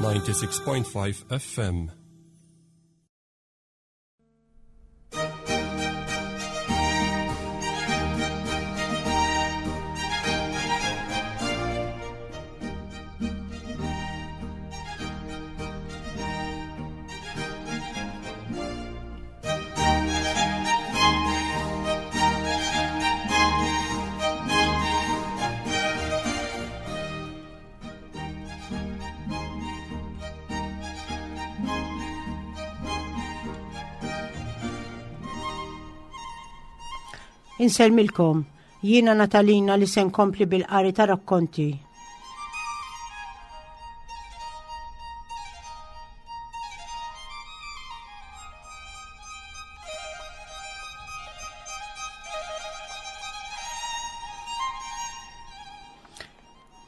96.5 FM. Insellmilkom, jiena Natalina li se nkompli bil-qari ta' rakkonti.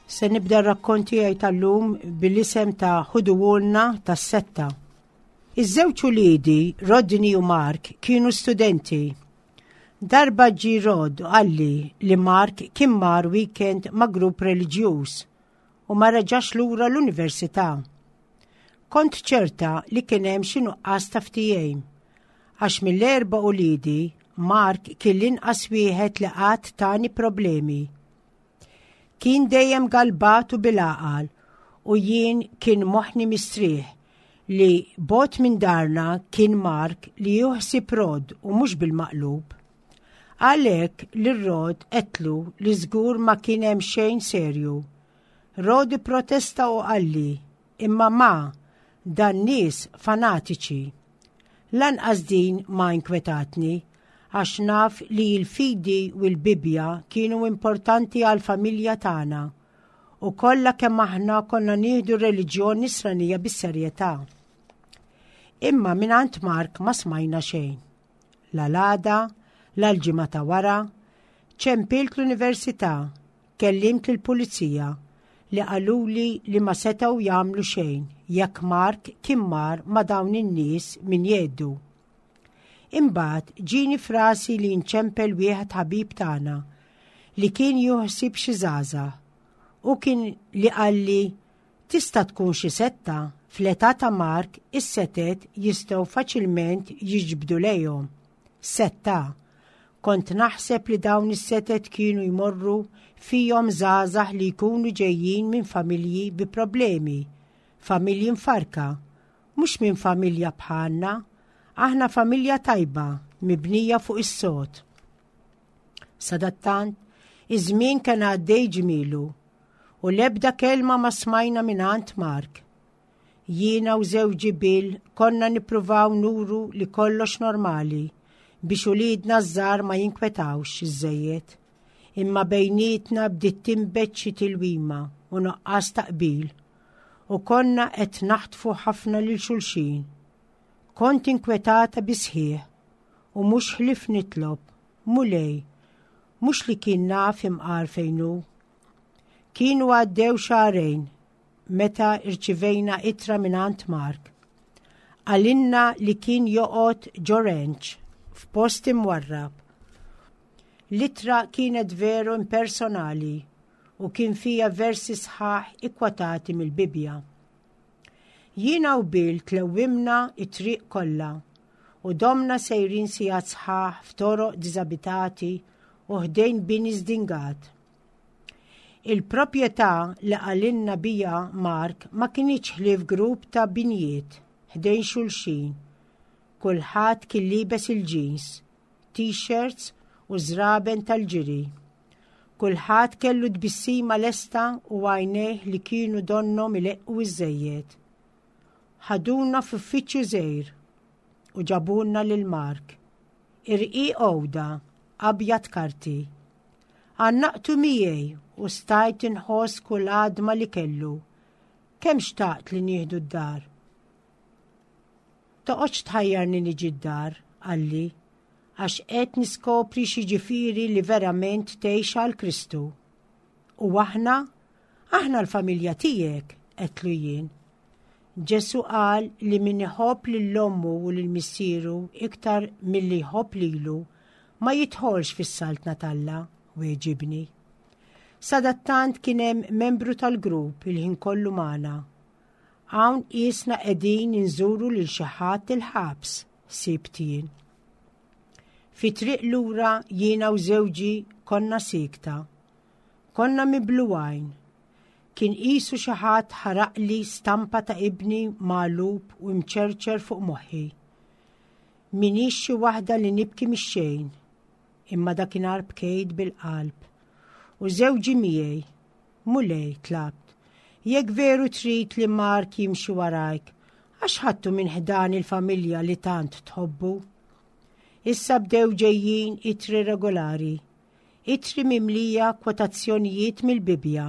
Se nibda r-rakkont tiegħi tal-lum bil-isem ta' Ħuduwulna tas-Setta. Iż-żewġ uliedi, Rodney u Mark, kienu studenti. Darba ġie Rod u qalli li Mark kien mar weekend ma' grupp reliġjuż u ma reġax lura l-università. Kont ċerta li kien hemm xi nuqqas ta' ftehim, għax mill-erba' uliedi, Mark kien l-inqas wieħed li qatt tani problemi. Kien dejjem galbat u bil-għaqal u jien kien moħħni mistrieħ li bogħod minn darna kien Mark li juħsib Rod u mhux bil-maqlub. Għalhekk lil Rod għedtlu li żgur ma kien hemm xejn serju. Rod ipprotesta u qalli, Imma ma, dan nies fanatiċi. Lanqas din ma inkwetatni għax naf li l-fidi u l-Bibbja kienu importanti għall-familja tagħna u kollha kemm aħna konna nieħdu r-reliġjon nisranija bis-serjetà. Imma mingħand Mark ma smajna xejn. La l-għada, la l-ġimgħa ta' wara, ċempilt l-università, kellimt lill-pulizija li qaluli li ma setgħu jagħmlu xejn jekk Mark kien mar ma' dawn in-nies minn jeddu. Imbagħad ġieni f'rasi li nċempel wieħed ħabib tagħna li kien juħsib xi żgħażagħ. Hu kien li qalli tista' tkun xi setta, fl-età ta' Mark is-setet jistgħu faċilment jiġbdu lejhom. Setta. Kont naħseb li dawn is-setet kienu jmorru fihom żgħażagħ li jkunu ġejjin minn familji bi problemi, familji mfarrka, Mhux minn familja bħalna, aħna familja tajba, mibnija fuq is-sod. Sadattant, iż-żmien kien għaddej ġmielu u l-ebda kelma ma smajna mingħand Mark. Jiena u żewġi Bill konna nippruvaw nuru li kollox normali biex uliedna ż-żgħar ma jinkwetawx iżżejjed. Imma bejnietna bdiet tinbet xi tilwima u nuqqas ta' qbil u konna qed naħtfu ħafna lil xulxin. Kont inkwetata bis-sħiħ u mhux ħlief nitlob, Mulej, mhux li kien naf imqar fejn hu. Kienu għaddew xahrejn meta rċivejna ittra mingħand Mark. Qalilna li kien joqgħod ġo ranch f'post imwarrab. L-ittra kienet veru impersonali u kien fiha versi sħaħ ikkwotati mill-Bibbja. Jiena u Bill tlewwimna t-triq kollha u domna sejrin sigħat sħaħ f'toroq diżabitati u ħdejn bini żdingat. Il-proprjetà li qalilna biha Mark ma kinitx ħlief grupp ta' binjiet ħdejn xulxin. Kulħadd kien liebes il-jeans, t-shirts u żraben tal-ġiri. Kulħadd kellu tbissima lesta u għajnejh li kienu donnhom ileqqu iżżejjed. Ħaduna f'uffiċċju żgħir u ġabulna lil Mark. Irqiq għoda, abjad karti. Għannaqtu miegħi u stajt inħoss kull għadma li kellu. Kemm xtaqt li nieħdu d-dar. Toqgħodx tħajjarni niġi d-dar, qalli, għax qed niskopri x'jiġifieri li verament tgħix għal Kristu. U aħna? Aħna l-familja tiegħek, għedtlu jien. Ġesù qal li min iħobb lil ommu u lil missieru iktar milli jħobb lilu, ma jidħolx fis-saltna t'Alla, weġibni. Sadattant kien hemm membru tal-grupp il-ħin kollu magħna. Hawn qisna qegħdin inżuru lil xi ħadd il-ħabs, ħsibt jien. Fi triq lura jiena u żewġi konna siekta. Konna miblugħin. Kien qisu xi ħadd ħaraqli stampa ta' ibni magħlub u mċerċer fuq moħħi. Minix xi waħda li nibki mix-xejn, imma dakinhar bkejt bil-qalb. U żewġi miegħi, Mulej, tlabt, jekk veru trid li Mark jimxi warajk, għax ħadtu minn ħdan il-familja li tant tħobbu? Issa bdew ġejjin itri regolari, itri mimlija kwotazzjonijiet mill-Bibbja.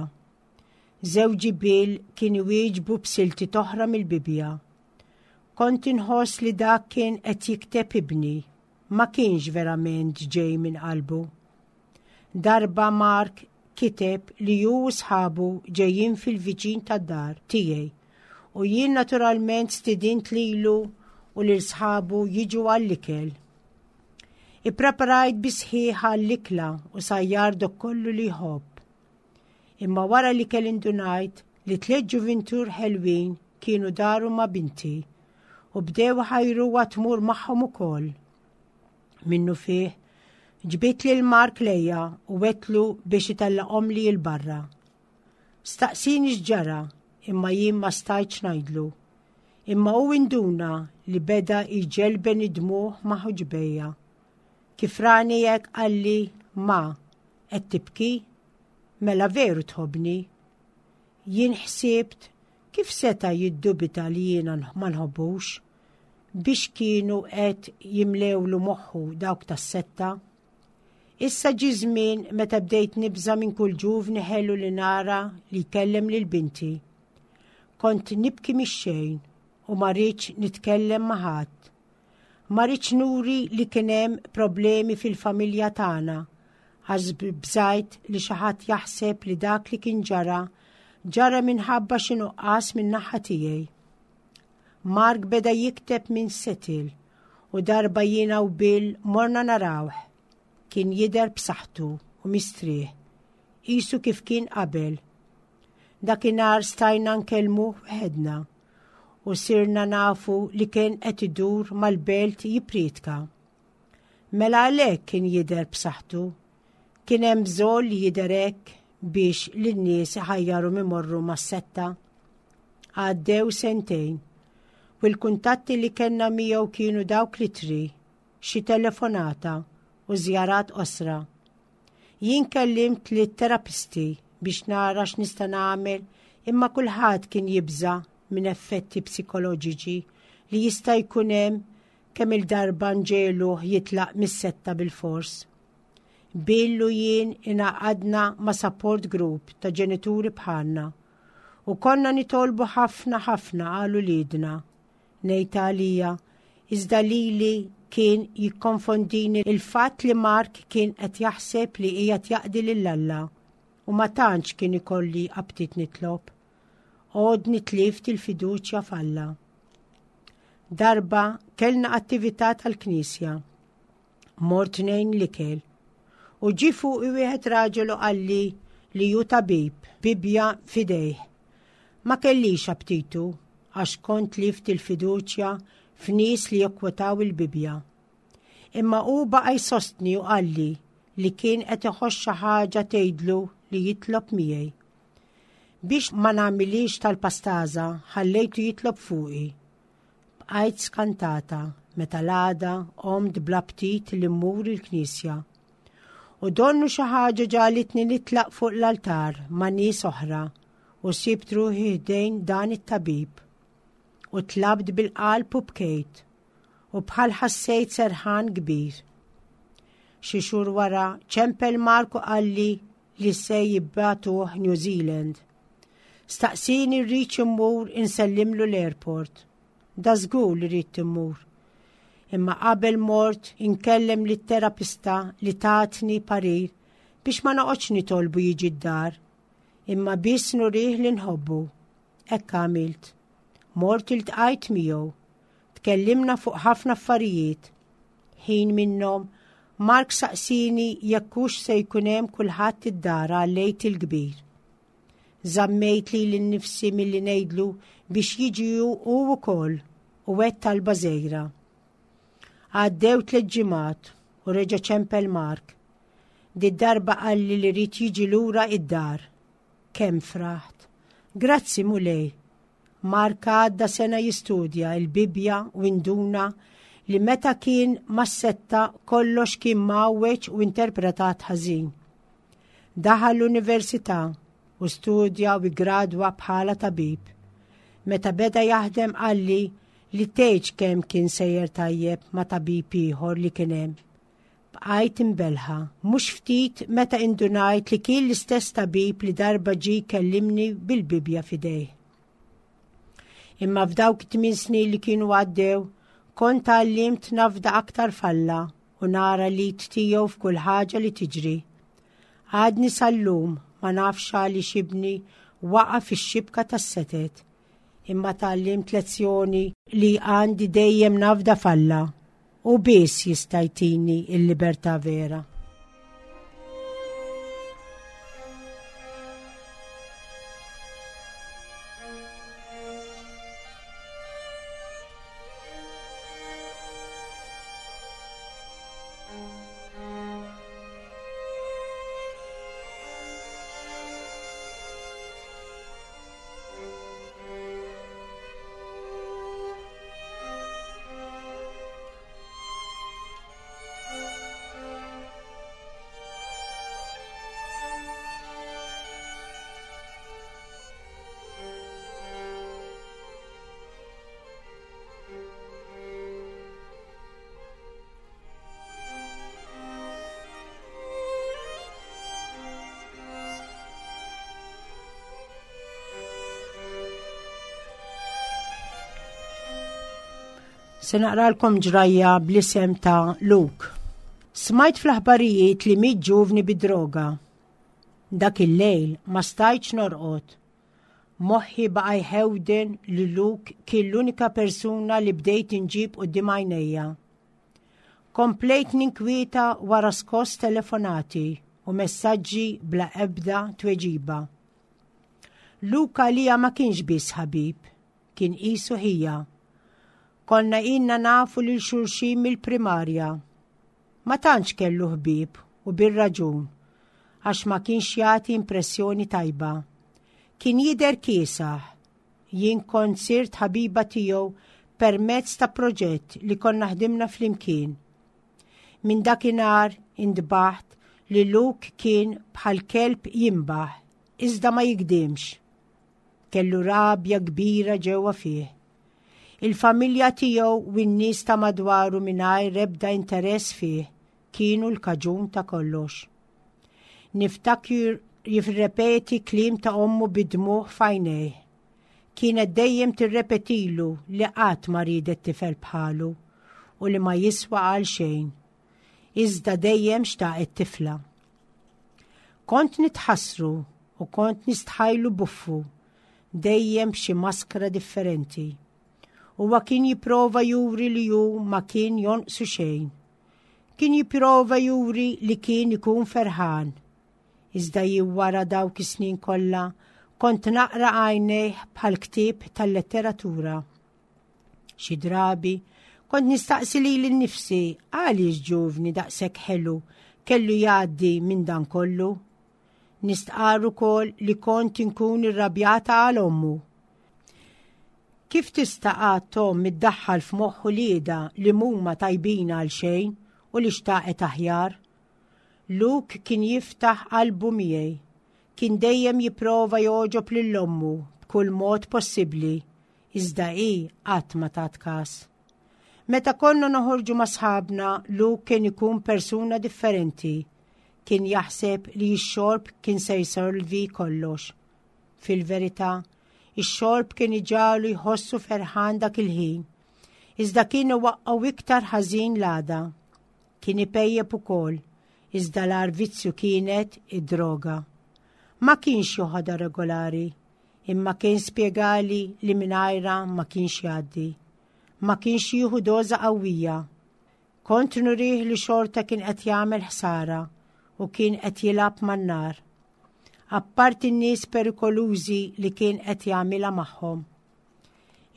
Żewġi Bill kien iwieġbu b'silti toħra mill-Bibbja. Kont inħoss li dak kien qed jikteb ibni, ma kienx verament ġej minn qalbu. Darba Mark kiteb li hu u sħabu ġejjin fil-viċin tad-dar tiegħi u jien naturalment stidint lilu u lil sħabu jiġu għall-ikel. Ippreparajt bi sħiħ għall-ikla u sajjar dok kollu li jħobb. Imma wara l-ikel indunajt li tliet ġuvintur ħelwin kienu daru ma' binti u bdew ħajruha tmur magħhom ukoll. Minnu fih, ġbidt lil Mark lejja u għedtlu biex itellaqhomli 'l barra. Staqsini x'ġara imma jien ma stajtx ngħidlu. Imma hu induna li beda jġelben id-dmugħ ma' ħuġbejja. Kif rani hekk qalli, Ma, qed tibki? Mela veru tħobbni. Jien ħsibt kif seta' jiddubita li jiena ma nħobbux? Biex kienu qed jimlewlu moħħu dawk tas-setta? Issa ġie żmien meta bdejt nibża' minn kull ġuvni ħelu li nara li jkellem lil binti. Kont nibki mix-xejn u ma ridtx nitkellem ma' ħadd. Ma ridtx nuri li kien hemm problemi fil-familja tagħna għax bżajt li xi ħadd jaħseb li dak li kien ġara ġara minħabba xi nuqqas min-naħa tiegħi. Mark beda jikteb minn Seattle u darba jiena u Bill morna narawh. Kien jidher b'saħħtu u mistrieħ, qisu kif kien qabel. Dakinhar stajna nkellmuh weħedna u sirna nafu li kien qed idur mal-belt jippriedka. Mela għalhekk kien jidher b'saħħtu. Kien hemm bżonn li jidher hekk biex lin-nies iħajjarhom imorru mas-setta. Għaddew sentejn u l-kuntatti li kellna miegħu kienu dawk l-ittri, xi telefonata u żjarat qosra. Jien kellimt lit-terapisti biex nara x'nista' nagħmel imma kulħadd kien jibża' minn effetti psikoloġiċi li jista' jkun hemm kemm-il darba nġegħluh jitlaq mis-setta bilfors. Bill u jien ingħaqadna ma' support group ta' ġenituri bħalna u konna nitolbu ħafna ħafna għal uliedna. Ngħid għalija, iżda lili kien jikkonfondini l-fatt li Mark kien qed jaħseb li qiegħed jaqdi lil Alla u ma tantx kien ikolli aptit nitlob. Għodni tlift il-fiduċja f'Alla. Darba kellna attività tal-knisja. Mort ngħin l-ikel. U ġie fuqi wieħed raġel u qalli li hu tabib, Bibbja f'idejh. Ma kellix aptitu għax kont tlift il-fiduċja f'nies li jikkwotaw il-Bibbja. Imma hu baqa' jsostni u qalli li kien qed iħoss xi ħaġa tgħidlu li jitlob miegħi. Biex ma nagħmilhiex tal-pastaża ħallejtu jitlob fuqi. Bqajt skantata meta l-għada qomt bl-aptit li mmur il-knisja. U donnu xi ħaġa ġagħlitni nitlaq fuq l-altar ma' nies oħra u sibt ruħi ħdejn dan it-tabib. U tlabt bil-qalb u bkejt u bħal ħassejt serħan kbir. Xi xhur wara ċempel Mark u qalli li se jibbatuh New Zealand. Staqsini rridx immur insellimlu l-airport. Da żgur li ridt immur. Imma qabel mort inkellem lit-terapista li tatni parir biex ma noqgħodx nitolbu jiġi d-dar, imma biss nurih li nħobbu. Hekk għamilt. Mort iltqajt miegħu. Tkellimna fuq ħafna affarijiet. Ħin minnhom, Mark saqsini jekk hux se jkun hemm kulħadd id-dar għall-Għid il-Kbir. Żammejt lili nnifsi milli ngħidlu biex jiġi hu wkoll u għedt talba żgħira. Għaddew tliet ġimgħat u reġa' ċempel Mark. Did-darba qalli li ried jiġi lura id-dar. Kemm fraħt! Grazzi Mulej! Mark għadda sena jistudja l-Bibbja u induna li meta kien mas-setta kollox kien mgħawweġ u interpretat ħażin. Daħal l-università u studja u ggradwa bħala tabib. Meta beda jaħdem qalli li tgħidx kemm kien sejjer tajjeb ma' tabib ieħor li kien hemm. Bqajt imbellħa, mhux ftit meta indunajt li kien l-istess tabib li darba ġie jkellimni bil-Bibbja f'idejh. Imma f'dawk it-tmien snin li kienu għaddew, kont tgħallimt nafda aktar f'Alla u nara l-id tiegħu f'kull ħaġa li tiġri. Għadni sal-lum ma nafx għaliex ibni waqa' fix-xibka tas-setet, imma tgħallimt lezzjoni li għandi dejjem nafda f'Alla. Hu biss jista' jtini l-libertà vera. Se naqralkom ġrajja bl-isem ta' Luke. Smajt fl-aħbarijiet li miet ġuvni bid-droga. Dak il-lejl ma stajtx norqod. Moħħi baqa' jħewden li Luke kien l-unika persuna li bdejt inġib quddiem għajnejja. Komplejt ninkwieta wara skoss telefonati u messaġġi bla ebda tweġiba. Luke għalija ma kienx biss ħabib, kien qisu ħija. Konna ilna nafu lil xulxin mill-primarja. Ma tantx kellu ħbieb u bir-raġun, għax ma kienx jagħti impressjoni tajba. Kien jidher kiesaħ. Jien kont sirt ħabiba tiegħu permezz ta' proġett li konna ħdimna flimkien. Minn dakinhar intbaħt li Luke kien bħal kelb jinbaħ, iżda ma jigdimx. Kellu rabja kbira ġewwa fih. Il-familja tiegħu u n-nies ta' madwaru mingħajr ebda interess fih kienu l-kaġun ta' kollox. Niftakru jirrepeti kliem ta' ommu bid-dmugħ f'għajnejh. Kienet dejjem tirrepetilu li qatt ma riedet tifel bħalu u li ma jiswa għal xejn. Iżda dejjem xtaqet tifla. Kont nitħassru u kont nistħajlu buffu, dejjem b'xi maskra differenti. Huwa kien jipprova juri li hu ma kien jonqsu xejn. Kien jipprova juri li kien ikun ferħan. Iżda jien wara dawk is-snin kollha kont naqra għajnejh bħal ktieb tal-letteratura. Xi drabi kont nistaqsi lili nnifsi għaliex ġuvni daqshekk ħelu kellu jgħaddi minn dan kollu. Nistqarr ukoll li kont inkun irrabjata għal ommu. Kif tista' qatt omm iddaħħal f'moħħ uliedha li m'huma tajbin għal xejn u li xtaqet aħjar? Luke kien jiftaħ qalbu miegħi. Kien dejjem jipprova jogħġob lil ommu b'kull mod possibbli Iżda hi qatt ma tat kas. Meta konna noħorġu ma' sħabna, Luke kien ikun persuna differenti. Kien jaħseb li x-xorb kien se jsolvi kollox. Fil-verità, ix-xorb kien iġagħlu jħossu ferħan dak il-ħin. Iżda kien iwaqqgħu iktar ħażin l-għada. Kien ipejjep ukoll, iżda l-agħar vizzju kienet id-droga. Ma kienx joħodha regolari, Imma kien spjegali li mingħajrha ma kienx jgħaddi. Ma kienx jieħu doża qawwija. Kont nurih li xorta kien qed jagħmel ħsara u kien qed jilgħab man-nar. Apparti n-nies perikolużi li kien qed jagħmilha magħhom.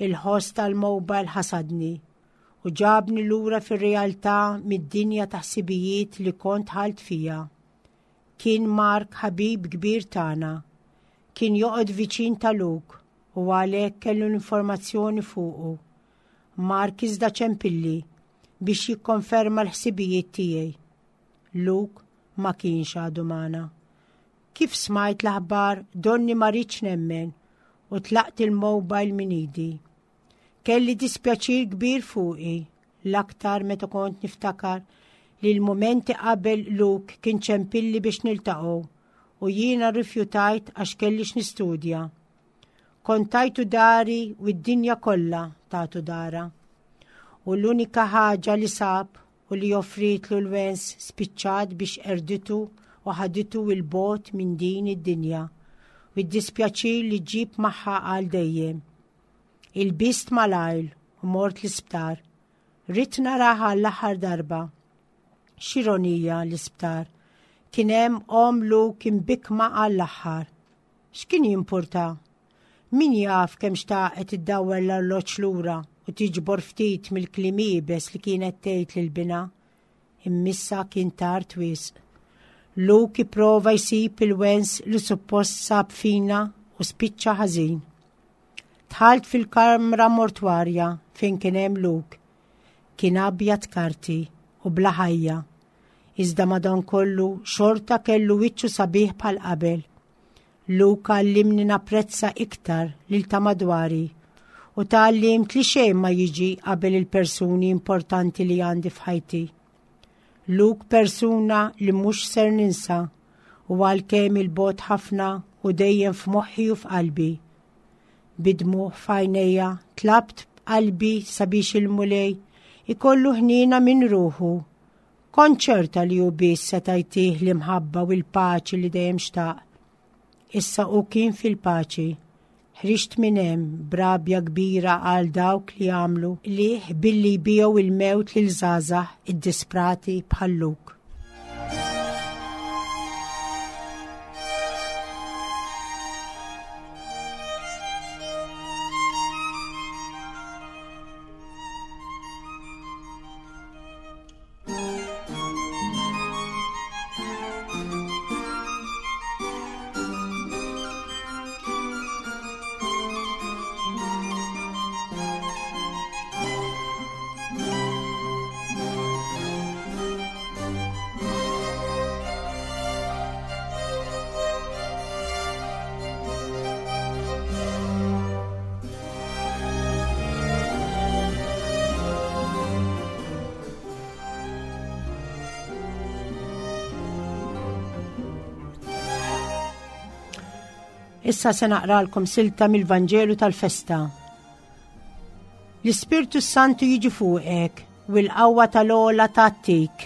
Il-ħoss tal-mobile ħasadni u ġabni lura fir-realtà mid-dinja ta' ħsibijiet li kont ħalt fija. Kien Mark ħabib kbir tagħna. Kien joqgħod viċin ta' Luke u għalhekk kellu l-informazzjoni fuqu. Mark iżda ċempilli biex jikkonferma l-ħsibijiet tiegħi. Luke ma kienx għadu magħna. Kif smajt l-aħbar donni ma rridx nemmen u tlaqt il-mobile minn idi. Kelli dispjaċir kbir fuqi, l-aktar meta kont niftakar li l-mumenti qabel Luke kien ċempilli biex niltaqgħu u jiena rrifjutajt għax kelli x'nistudja. Kont tajtu dari u d-dinja kollha tatu dara. U l-unika ħaġa li sab u li offrietlu l-wens spiċċat biex qerditu u ħaditu 'l bogħod minn din id-dinja u d-dispjaċir li ġġib magħha għal dejjem. Ilbist malajr u mort l-isptar. Ridt narah għall-aħħar darba. X'ironija l-isptar. Kien hemm omm Luke imbikkma għall-aħħar. X'kien jimpurta? Min jaf kemm xtaqet iddawwar l-arloġġ lura u tiġbor ftit mill-kliem iebes li kienet tgħid lil binha. Immissa kien tard wisq. Luke ipprova jsib il-wens li suppost sab fina u spiċċa ħażin. Dħalt fil-kamra mortwarja fejn kien hemm Luke. Kien abjad karti u bla ħajja. Iżda madankollu xorta kellu wiċċu sabiħ bħal qabel. Luke għallimni napprezza iktar lil ta' madwari u tgħallimt li xejn ma jiġi qabel il-persuni importanti li għandi f'ħajti. Luke persuna li mhux ser ninsa u għalkemm il-bogħod ħafna u dejjem f'moħħi u f'qalbi. Bid-dmugħ f'għajnejja tlabt b'qalbi sabiex il-Mulej ikollu ħniena minn ruħu Kont ċerta li hu biss seta' jtih l-imħabba u l-paċi li dejjem xtaq. Issa hu kien fil-paċi. Ħriġt minn hemm b'rabja kbira għal dawk li għamlu qligħ billi jbigħu il-mewt lil żgħażagħ iddisprati bħal Luke. Issa se naqralkom silta mill-Vanġelu tal-festa. L-Ispirtu Santu jiġi fuqek u l-qawwa tal-ogħla tgħattik.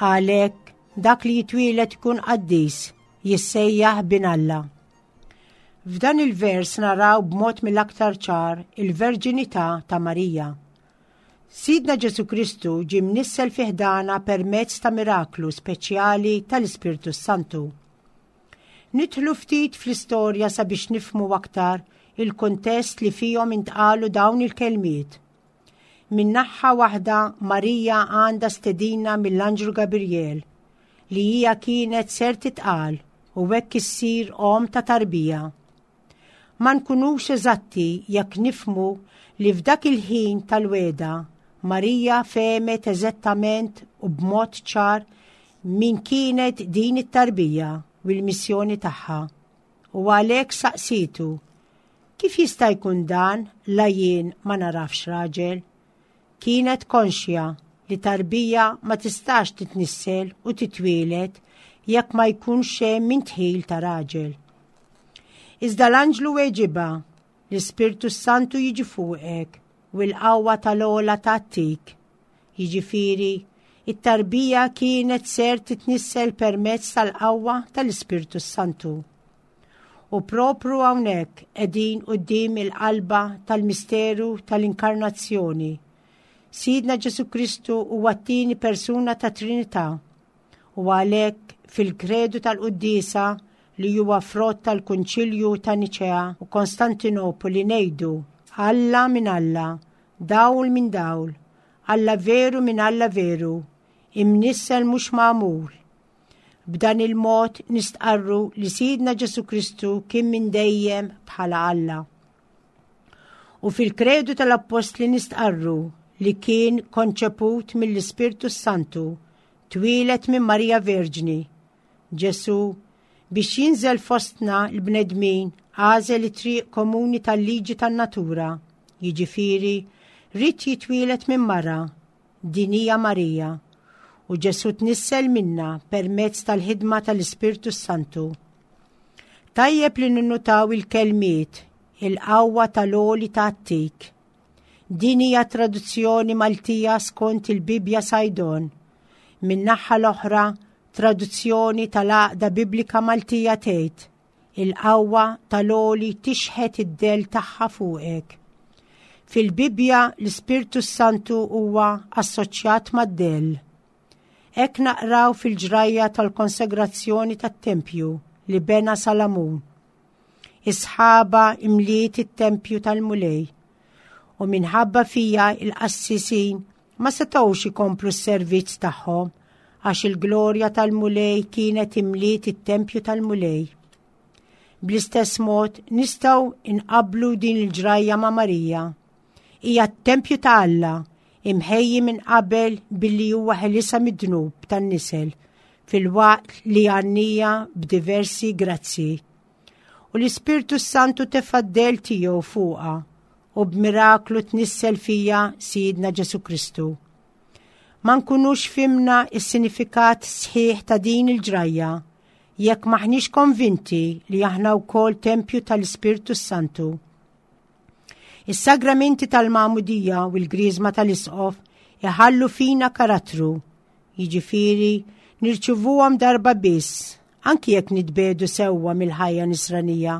Għalhekk dak li jitwieled ikun qaddis, jissejjaħ bin Alla. F'dan il-vers naraw b'mod mill-aktar ċar il-verġinità ta' Marija. Sidna Ġesù Kristu ġie mnissel fi ħdana permezz ta' miraklu speċjali tal-Ispirtu s-Santu. Nidħlu ftit fl-istorja sabiex nifhmu aktar il-kuntest li fihom intqalu dawn il-kelmiet. Minn naħa waħda Marija għandha stedina mill-Anġlu Gabriel li hija kienet ser titqal u hekk issir omm ta' tarbija. Ma nkunux eżatti jekk nifhmu li f'dak il-ħin tal-wegħda Marija fehmet eżettament u b'mod ċar min kienet din it-tarbija u l-missjoni tagħha. U għalhekk saqsietu, Kif jista' jkun dan la jien ma narafx raġel? Kienet konxja li tarbija ma tistax titnissel u titwieled jekk ma jkunx hemm indħil ta' raġel. Iżda l-anġlu weġibha, L-Ispirtu s-Santu jiġi fuqek u l-qawwa tal-ogħla tgħattik. Jiġifieri, it-tarbija kienet ser titnissel permezz tal-qawwa tal-Ispirtu s-Santu. U propru hawnhekk qegħdin quddiem il-qalba tal-misteru tal-inkarnazzjoni. Sidna Ġesù Kristu huwa t-tieni persuna tat-Trinità u għalhekk fil-kredu tal-quddiesa li huwa frott tal-Kunċilju ta' Niċea u Konstantinopoli ngħidu, Alla minn Alla, dawl minn dawl, Alla veru minn Alla veru, imnissel mhux magħmul. B'dan il-mod nistqarru li Sidna Ġesù Kristu kien minn dejjem bħala Alla. U fil-Kredu tal-Appostli nistqarru li kien konċeput mill-Ispirtu Santu, twieled minn Marija Verġni. Ġesù, biex jinżel fostna l-bnedmin, għażel it-triq komuni tal-liġi tan-natura, jiġifieri, ried jitwieled minn mara, Din hija Marija, u Ġesù tnissel minnha permezz tal-ħidma tal-Ispirtu s-Santu. Tajjeb li ninnutaw il-kelmiet il-qawwa tal-għoli tgħattik. Din hija traduzzjoni Maltija skont il-Bibbja Saydon. Min-naħa l-oħra, traduzzjoni tal-Għaqda Biblika Maltija tgħid Il-qawwa tal-għoli tixħet id-dell tagħha fuqek. Fil-Bibbja l-Ispirtu s-Santu huwa assoċjat mad-dell. Hekk naqraw fil-ġrajja tal-konsegrazzjoni tat-tempju li bena Salamun. Is-sħaba imliet it-tempju tal-Mulej u minħabba fija il-qassisin ma setgħux ikomplu s-servizz tagħhom għax il-glorja tal-Mulej kienet imliet it-tempju tal-Mulej. Bl-istess mod nistgħu inqablu din il-ġrajja ma' Marija. Hija t-tempju ta' Alla imħejji minn qabel billi huwa ħelisha mid-dnub tan-nisel filwaqt li għannija b'diversi grazzi. U l-Ispirtu Santu tefa' d-del tiegħu fuqha u b'miraklu tnissel fija Sidna Ġesu Kristu. Ma nkunux fimna is-sinifikat sħiħ ta' din il-ġrajja jekk maħniex konvinti li aħna wkoll tempju tal-Ispirtu Santu. Is-sagramenti tal-Magħmudija u l-Griżma tal-Isqof iħallu fina karattru, jiġifieri nirċivuhom darba biss, anki jekk nitbedu sewwa mill-ħajja nisranija.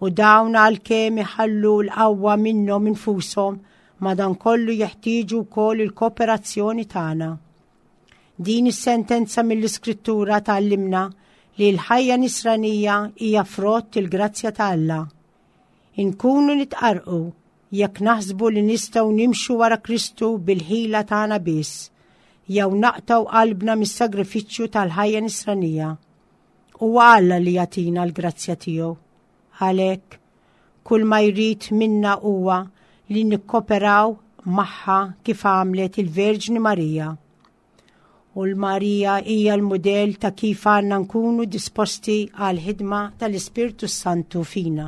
U dawn għalkemm iħallu l-qawwa minnhom infushom madankollu jeħtieġu wkoll il-kooperazzjoni tagħna. Din is-sentenza mill-Iskrittura tgħallimna li l-ħajja nisranija hija frott il-grazzja ta' Alla. Inkunu nitqarqu jekk naħsbu li nistgħu nimxu wara Kristu bil-ħila tagħna biss, jew naqtgħu qalbna mis-sagrifiċċju tal-ħajja nisranija. Huwa Alla li jagħtina l-grazzja tiegħu. Għalhekk, kull ma jrid minna huwa li nikkoperaw magħha kif għamlet il-Verġni Marija. U l-Marija hija l-mudell ta' kif għandna nkunu disposti għall-ħidma tal-Ispirtu s-Santu fina.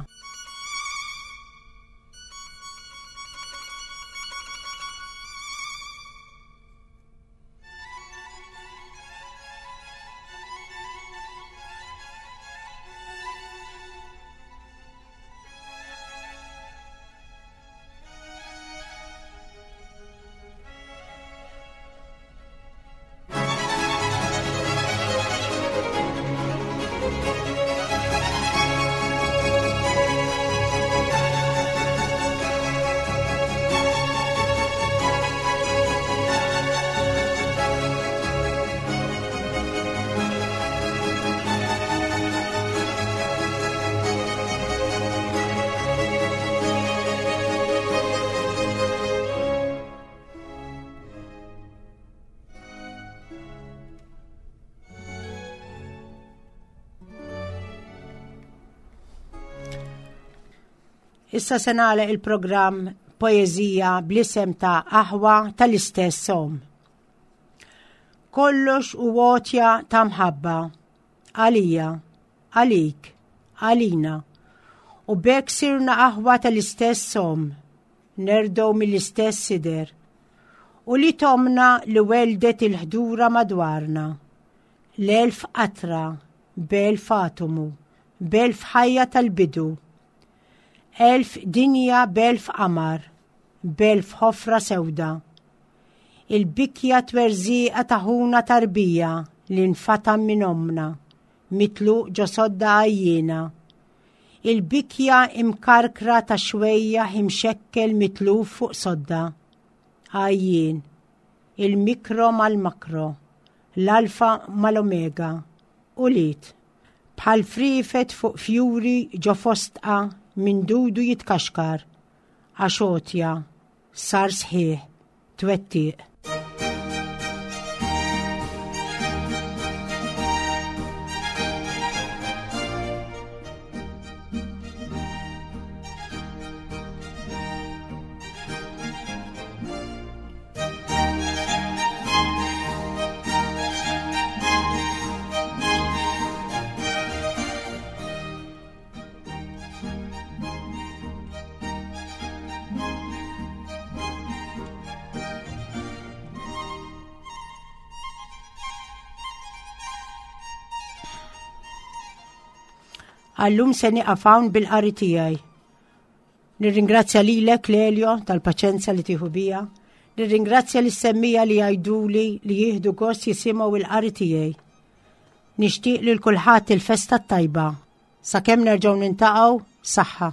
Issa se nagħlaq il-programm poeżija bl-isem ta' Aħwa tal-istess Som. Kollox u għotja ta' mħabba għalija, għalik, għalina. U b'hekk sirna aħwa tal-istess Som, nerdow mill-istess sider. U li tomna li weldet il-ħdura madwarna. L-elf qatra, b'elf atomu, b'elf ħajja tal-bidu. Elf dinja b'elf qamar, b'elf ħofra sewda. Il-bikja twerżieqa ta' ħuna tarbija li nfatam minn ommna, mitluq ġo sodda għajjiena. Il-bikja imkarkra ta' xwejjaħ imxekkel mitluf fuq sodda. Għajjien. Il-mikro mal-makro. L-alfa mal-omega. Ulied. Bħal friefet fuq fjuri ġo fostqa minn dudu jitkaxkar, għax għotja sar sħiħ twettiq. Għallum se nieqaf hawn bil-qari tiegħi. Nirringrazzja lilek Lelio tal-paċenza li tieħu bija. Nirringrazzja lis-semmija li jgħiduli li jieħdu gost jisimgħu il-qari tiegħi. Nixtieq lil kulħadd il-festa t-tajba. Sakemm nerġgħu nintaqgħu, saħħa.